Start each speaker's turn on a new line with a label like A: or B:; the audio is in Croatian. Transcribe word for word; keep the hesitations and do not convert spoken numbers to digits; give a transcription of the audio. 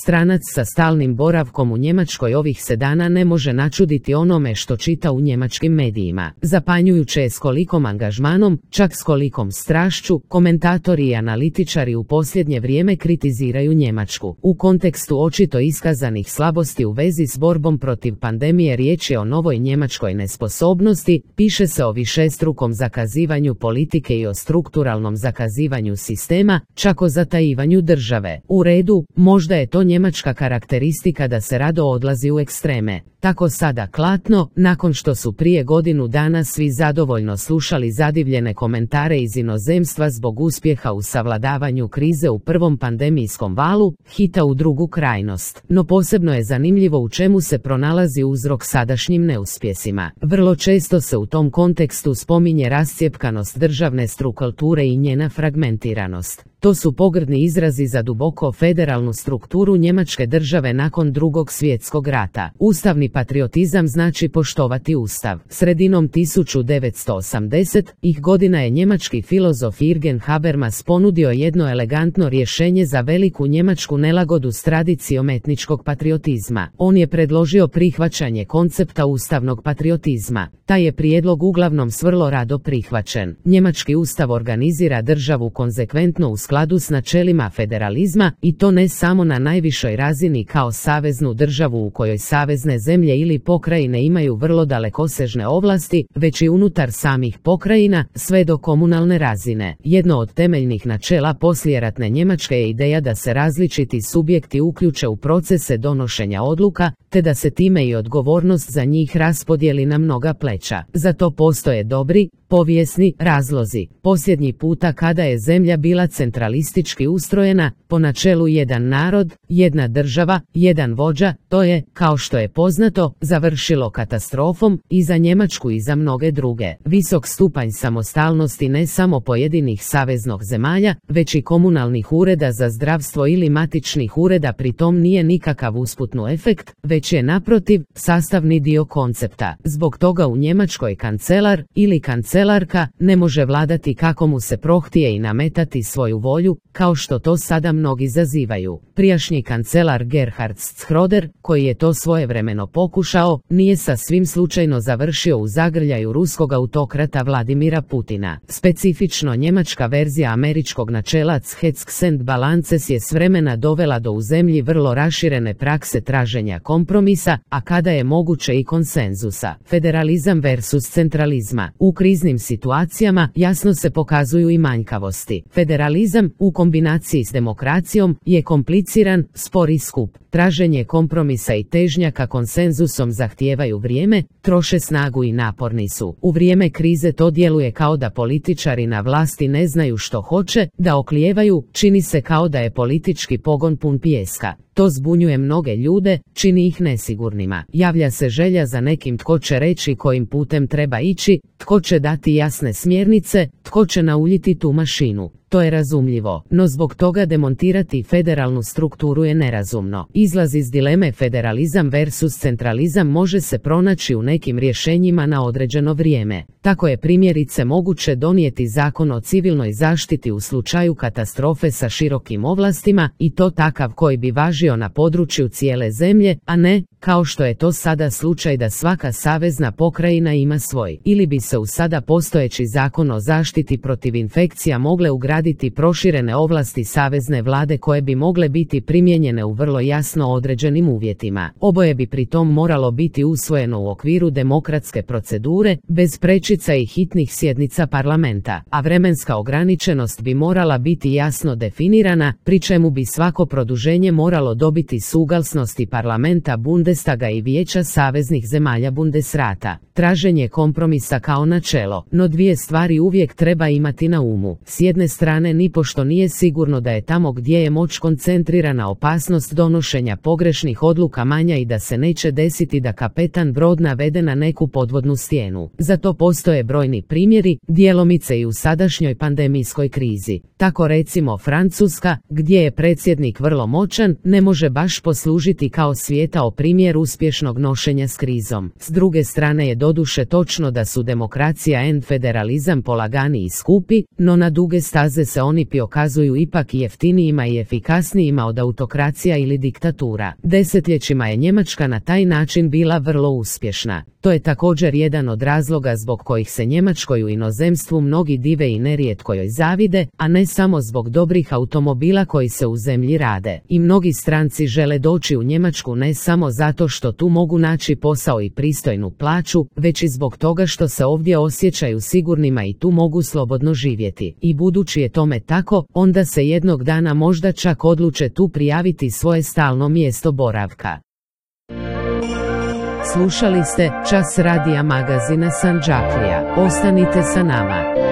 A: Stranac sa stalnim boravkom u Njemačkoj ovih se dana ne može načuditi onome što čita u njemačkim medijima. Zapanjujuće je s kolikom angažmanom, čak s kolikom strašću, komentatori i analitičari u posljednje vrijeme kritiziraju Njemačku. U kontekstu očito iskazanih slabosti u vezi s borbom protiv pandemije riječ je o novoj njemačkoj nesposobnosti, piše se o višestrukom zakazivanju politike i o strukturalnom zakazivanju sistema, čak o zatajivanju države. U redu, možda je to njemačka karakteristika da se rado odlazi u ekstreme. Tako sada klatno, nakon što su prije godinu dana svi zadovoljno slušali zadivljene komentare iz inozemstva zbog uspjeha u savladavanju krize u prvom pandemijskom valu, hita u drugu krajnost. No posebno je zanimljivo u čemu se pronalazi uzrok sadašnjim neuspjesima. Vrlo često se u tom kontekstu spominje rascjepkanost državne strukture i njena fragmentiranost. To su pogrdni izrazi za duboko federalnu strukturu njemačke države nakon Drugog svjetskog rata. Ustavni patriotizam znači poštovati ustav. Sredinom tisuću devetsto osamdesetih godina je njemački filozof Jürgen Habermas ponudio jedno elegantno rješenje za veliku njemačku nelagodu s tradicijom etničkog patriotizma. On je predložio prihvaćanje koncepta ustavnog patriotizma. Taj je prijedlog uglavnom s vrlo rado prihvaćen. Njemački ustav organizira državu konzekventno u skladu s načelima federalizma i to ne samo na najvišoj razini kao saveznu državu u kojoj savezne zemlje ili pokrajine imaju vrlo dalekosežne ovlasti, već i unutar samih pokrajina, sve do komunalne razine. Jedno od temeljnih načela poslijeratne Njemačke je ideja da se različiti subjekti uključe u procese donošenja odluka, te da se time i odgovornost za njih raspodijeli na mnoga pleća. Za to postoje dobri, povijesni razlozi. Posljednji puta kada je zemlja bila centralistički ustrojena, po načelu jedan narod, jedna država, jedan vođa, to je, kao što je poznato, završilo katastrofom i za Njemačku i za mnoge druge. Visok stupanj samostalnosti ne samo pojedinih saveznog zemalja, već i komunalnih ureda za zdravstvo ili matičnih ureda pritom nije nikakav usputni efekt, već je naprotiv sastavni dio koncepta. Zbog toga u Njemačkoj kancelar ili kancelarka ne može vladati kako mu se prohtije i nametati svoju volju, kao što to sada mnogi zazivaju. Prijašnji kancelar Gerhard Schröder, koji je to svojevremeno pokušao, nije sasvim slučajno završio u zagrljaju ruskog autokrata Vladimira Putina. Specifično njemačka verzija američkog načela Checks and Balances je s vremena dovela do u zemlji vrlo raširene prakse traženja kompromisa, a kada je moguće i konsenzusa. Federalizam versus centralizma. U kriznim situacijama jasno se pokazuju i manjkavosti. Federalizam, u kombinaciji s demokracijom, je kompliciran, spor i skup. Traženje kompromisa i težnja ka konsenzusom zahtijevaju vrijeme, troše snagu i naporni su. U vrijeme krize to djeluje kao da političari na vlasti ne znaju što hoće, da oklijevaju, čini se kao da je politički pogon pun pijeska. To zbunjuje mnoge ljude, čini ih nesigurnima. Javlja se želja za nekim tko će reći kojim putem treba ići, tko će dati jasne smjernice, tko će nauljiti tu mašinu. To je razumljivo, no zbog toga demontirati federalnu strukturu je nerazumno. Izlaz iz dileme federalizam versus centralizam može se pronaći u nekim rješenjima na određeno vrijeme. Tako je primjerice moguće donijeti zakon o civilnoj zaštiti u slučaju katastrofe sa širokim ovlastima i to takav koji bi važio na području cijele zemlje, a ne, kao što je to sada slučaj da svaka savezna pokrajina ima svoj. Ili bi se u sada postojeći zakon o zaštiti protiv infekcija mogle ugraditi proširene ovlasti savezne vlade koje bi mogle biti primijenjene u vrlo jasno određenim uvjetima. Oboje bi pritom moralo biti usvojeno u okviru demokratske procedure, bez prečica i hitnih sjednica parlamenta, a vremenska ograničenost bi morala biti jasno definirana, pri čemu bi svako produženje moralo dobiti suglasnosti parlamenta Bundestaga i vijeća saveznih zemalja Bundesrata. Traženje kompromisa kao načelo, no dvije stvari uvijek treba imati na umu. S jedne strane nipošto nije sigurno da je tamo gdje je moć koncentrirana opasnost donošenja pogrešnih odluka manja i da se neće desiti da kapetan brod navede na neku podvodnu stijenu. Zato postoje brojni primjeri, djelomice i u sadašnjoj pandemijskoj krizi. Tako recimo Francuska, gdje je predsjednik vrlo moćan, ne može baš poslužiti kao svijetao primjer uspješnog nošenja s krizom. S druge strane je doduše točno da su demokracija and federalizam polagani i skupi, no na duge staze voze se oni pokazuju ipak jeftinijima i efikasnijima od autokracija ili diktatura. Desetljećima je Njemačka na taj način bila vrlo uspješna. To je također jedan od razloga zbog kojih se Njemačkoj u inozemstvu mnogi dive i nerijetko joj zavide, a ne samo zbog dobrih automobila koji se u zemlji rade. I mnogi stranci žele doći u Njemačku ne samo zato što tu mogu naći posao i pristojnu plaću, već i zbog toga što se ovdje osjećaju sigurnima i tu mogu slobodno živjeti. I budući je tome tako, onda se jednog dana možda čak odluče tu prijaviti svoje stalno mjesto boravka. Slušali ste Čas radija magazina Sandžaklija. Ostanite sa nama.